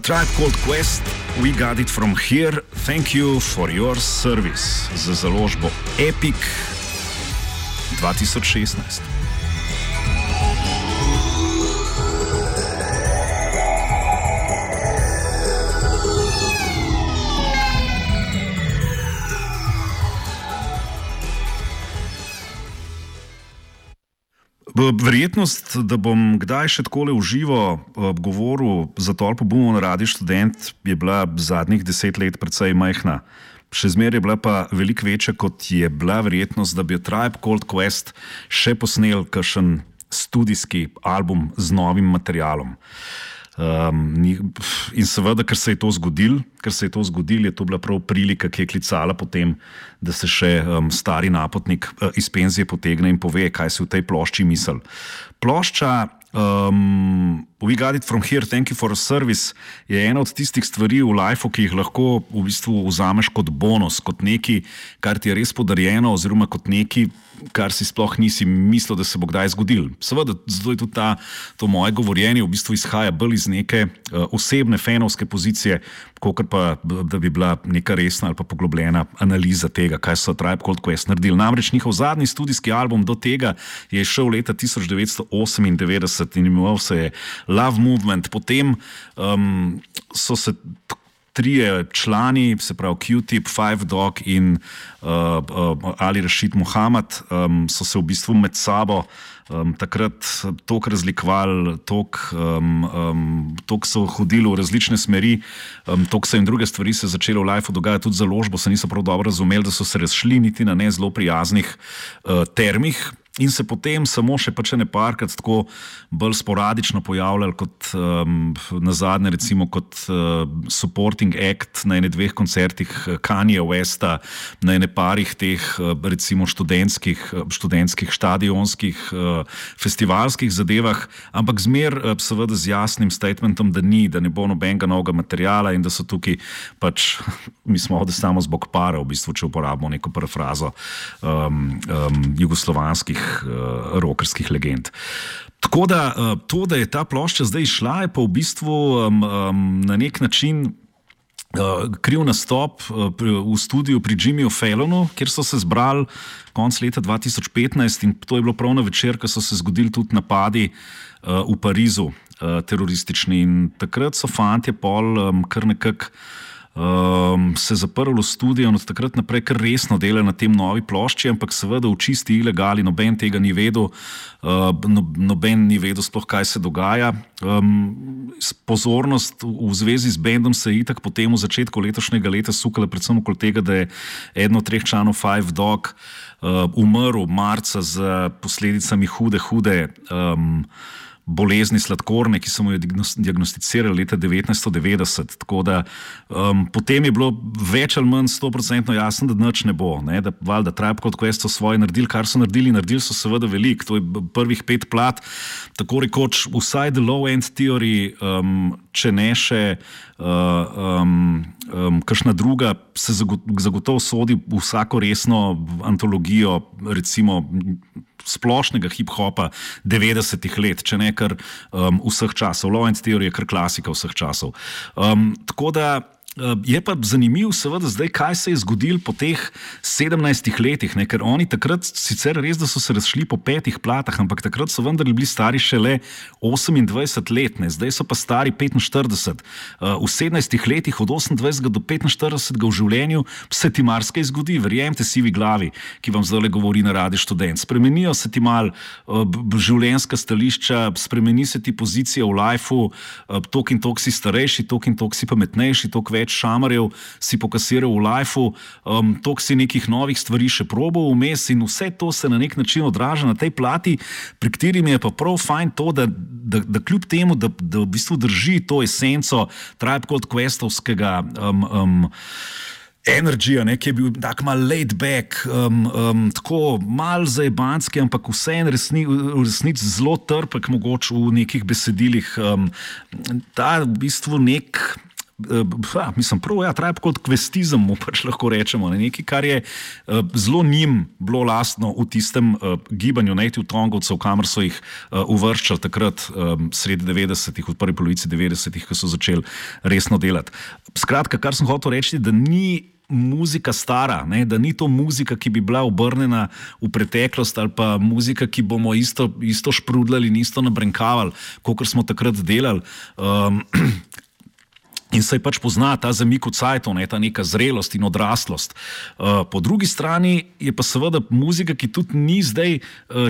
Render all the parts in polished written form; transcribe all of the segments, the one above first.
Tribe Called Quest, We Got It From Here, Thank You For Your Service za založbo Epic 2016. Verjetnost, da bom kdaj še takole v živo govoril za tolpo bumov na Radiu Študent, je bila zadnjih 10 let precej majhna. Še zmeraj je bila pa veliko večja, kot je bila verjetnost, da bi Tribe Called Quest še posnel kakšen studijski album z novim materialom. In seveda, ker se je to zgodilo, je to bila prav prilika, ki je klicala potem, da se še stari napotnik iz penzije potegne in pove, kaj si v tej plošči misel. Plošča We Got It From Here, Thank You For Your Service je ena od tistih stvari v lifeu, ki jih lahko v bistvu vzameš kot bonus, kot nekaj, kar ti je res podarjeno, oziroma kot nekaj, kar si sploh nisi mislil, da se bo kdaj zgodil. Seveda, zato je tudi to moje govorjenje v bistvu izhaja bolj iz neke osebne fanovske pozicije, kakor pa, da bi bila neka resna ali pa poglobljena analiza tega, kaj so Tribe Called Quest naredili. Namreč njihov zadnji studijski album do tega je šel leta 1998 in imenoval se je Love Movement. Potem so se trije člani, se pravi Q-Tip, Five Dog in Ali Rashid Muhammad, so se v bistvu med sabo takrat toliko razlikovali, toliko so hodili v različne smeri, toliko se jim druge stvari se začele v lifeu dogajati, tudi založbo se niso prav dobro razumeli, da so se razšli niti na ne zelo prijaznih termih. In se potem samo še pač parkrat tako bolj sporadično pojavljali kot nazadnje recimo kot supporting act na ene dveh koncertih Kanye Westa, na ene parih teh recimo študentskih stadionskih festivalskih zadevah, ampak zmer seveda z jasnim statementom, da ne bo nobenega novega materiala in da so tukaj pač, mi smo ovde samo zbog para, v bistvu, če uporabimo neko parafrazo jugoslovanskih rockerskih legend. Tako da to, da je ta plošča zdaj šla, je pa v bistvu na nek način kriv nastop v studiu pri Jimmyju Fallonu, kjer so se zbrali konec leta 2015 in to je bilo prav na večer, ko so se zgodili tudi napadi v Parizu teroristični in takrat so fantje pol kar nekako se zaprli v studio in od takrat naprej kar resno delajo na tem novi plošči, ampak seveda v čisti ilegali, noben tega ni vedel, noben ni vedel sploh, kaj se dogaja. Pozornost v zvezi z bendom se je itak potem v začetku letošnjega leta sukala predvsem okoli tega, da je eden od treh članov Five Dog umrl marca z posledicami hude bolezni sladkorne, ki so mu jo diagnosticirali leta 1990. Tako da potem je bilo več ali manj 100% jasno, da nič ne bo. Da valjda Tribe Called Quest so svoje naredili, kar so naredili so seveda veliko. To je prvih 5 plat, tako rekoč vsaj The Low End Theory, če ne še kakšna druga, se zagotovo sodi v vsako resno antologijo, recimo splošnega hip-hopa 90-ih let, če ne kar vseh časov. Low End Theory je kar klasika vseh časov. Tako da je pa zanimiv seveda zdaj, kaj se je zgodilo po teh 17 letih, ker oni takrat sicer res, da so se razšli po 5 platah, ampak takrat so vendar bili stari šele 28 let, zdaj so pa stari 45. V 17 letih od 28 do 45 v življenju se ti marsikaj zgodi, verjemite si vi glavi, ki vam zdaj govori na Radiu Študent. Spremenijo se ti mal življenjska stališča, spremeni se ti pozicija v lifeu, tok in tok si starejši, tok in tok si pametnejši, tok več šamarjev si pokasiral v lifeu, toliko si nekih novih stvari še probal vmes in vse to se na nek način odraža na tej plati, pri kateri mi je pa prav fajn to, da kljub temu, da v bistvu drži to esenco Tribe Called Questovskega energija, ki je bil tak mal laid back, tako mal zajebanski, ampak vseeno v resnici zelo trpek mogoče v nekih besedilih. Ta v bistvu mislim, Tribe Called Questizem mu pač lahko rečemo, ne? Nekaj, kar je zelo njim bilo lastno v tistem gibanju Native Tongovcev, kamor so jih uvrščali takrat sredi 90-ih, v prvi polovici 90-ih, ko so začeli resno delati. Skratka, kar sem hotel reči, da ni muzika stara, ne? Da ni to muzika, ki bi bila obrnjena v preteklost ali pa muzika, ki bomo isto šprudljali in isto nabrenkavali, kot smo takrat delali. In se je pač pozna ta zamik v cajtu, ta neka zrelost in odraslost. Po drugi strani je pa seveda muzika, ki tudi ni zdaj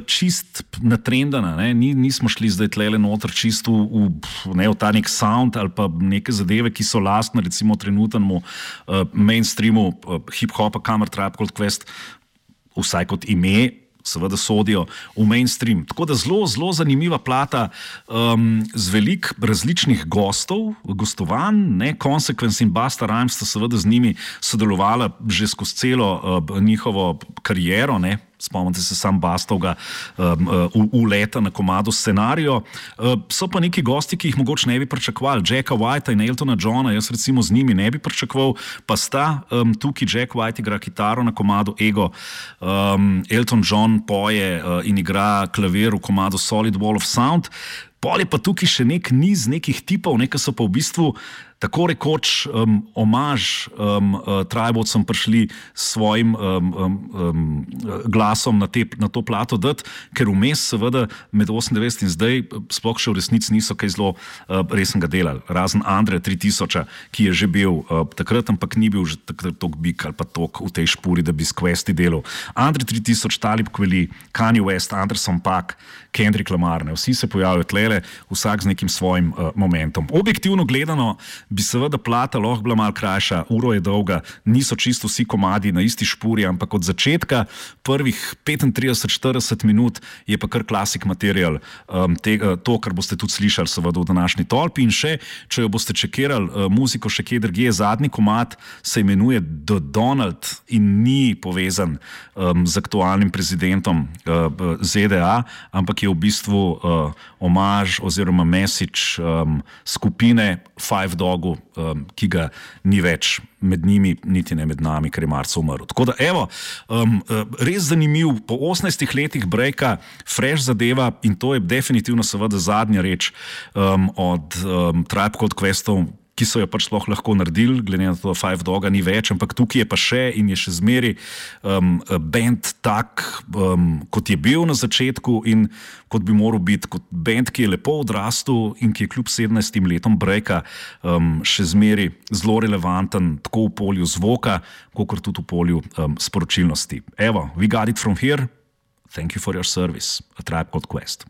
čist natrendana. Nismo šli zdaj tlele noter čist v ta nek sound ali pa neke zadeve, ki so lastne recimo trenutnemu mainstreamu hip-hopa, kamor Tribe Called Quest vsaj kot ime seveda sodijo v mainstream. Tako da zelo zanimiva plata z veliko različnih gostovanj, Consequence in Busta Rhymes sta seveda z njimi sodelovala že skozi celo njihovo kariero, spomnite se sam Bastovga uleta na komadu Scenario. So pa neki gosti, ki jih mogoče ne bi pričakovali. Jacka Whitea in Eltona Johna, jaz recimo z njimi ne bi pričakoval, pa sta tukaj Jack White igra kitaro na komadu Ego, Elton John poje in igra klavir v komadu Solid Wall of Sound. Pol je pa tukaj še nek niz nekih tipov, ki so pa v bistvu tako rekoč omaž Tribovcem prišli s svojim glasom na to plato dati, ker vmes seveda med 98 in zdaj sploh še v resnici niso kaj zelo resnega delali. Razen Andre 3000, ki je že bil takrat, ampak ni bil že takrat tok big ali pa tok v tej špuri, da bi s Questi delal. Andre 3000, Talib Kweli, Kanye West, Anderson .Paak, Kendrick Lamar, vsi se pojavljajo tlele, vsak z nekim svojim momentom. Objektivno gledano bi seveda plata lahko bila malo krajša, uro je dolga, niso čisto vsi komadi na isti špuri, ampak od začetka prvih 35-40 minut je pa kar klasik material, to, kar boste tudi slišali seveda v današnji tolpi. In še, če jo boste čekirali muziko še kje drugje, zadnji komad se imenuje The Donald in ni povezan z aktualnim prezidentom ZDA, ampak je v bistvu omaž oziroma message skupine Five Dogu, ki ga ni več med njimi, niti ne med nami, ker je marca umrl. Tako da, evo, res zanimiv, po 18 letih breaka, fresh zadeva in to je definitivno seveda zadnja reč od Tribe Called Questov, ki so jo pač sploh lahko naredili, glede na to, da Five Doga ni več, ampak tukaj je pa še in je še zmeri band tak, kot je bil na začetku in kot bi moral biti, kot band, ki je lepo odrastel in ki je kljub 17 letom breaka še zmeri zelo relevanten, tako v polju zvoka, kakor tudi v polju sporočilnosti. Evo, we got it from here. Thank you for your service. A Tribe Called Quest.